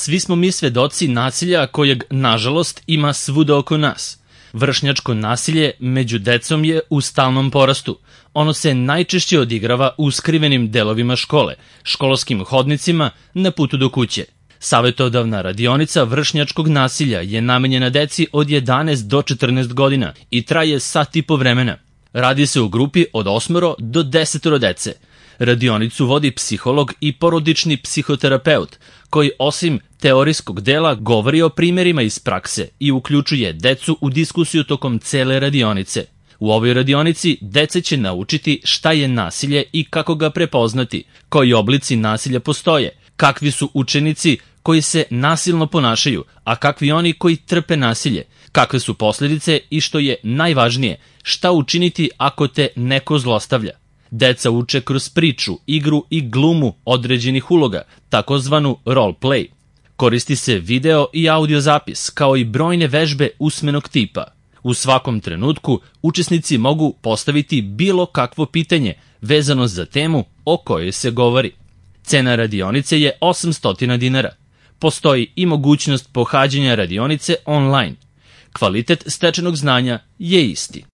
Svi smo mi svedoci nasilja kojeg, nažalost, ima svuda oko nas. Vršnjačko nasilje među decom je u stalnom porastu. Ono se najčešće odigrava u skrivenim delovima škole, školskim hodnicima, na putu do kuće. Savetodavna radionica vršnjačkog nasilja je namenjena deci od 11 do 14 godina i traje sat i po vremena. Radi se u grupi od 8 do 10 dece. Radionicu vodi psiholog i porodični psihoterapeut, koji osim teorijskog dela govori o primjerima iz prakse i uključuje decu u diskusiju tokom cele radionice. U ovoj radionici deca će naučiti šta je nasilje i kako ga prepoznati, koji oblici nasilja postoje, kakvi su učenici koji se nasilno ponašaju, a kakvi oni koji trpe nasilje, kakve su posljedice i što je najvažnije, šta učiniti ako te neko zlostavlja. Deca uče kroz priču, igru i glumu određenih uloga, takozvanu role play. Koristi se video i audio zapis, kao i brojne vežbe usmenog tipa. U svakom trenutku učesnici mogu postaviti bilo kakvo pitanje vezano za temu o kojoj se govori. Cena radionice je 800 dinara. Postoji i mogućnost pohađanja radionice online. Kvalitet stečenog znanja je isti.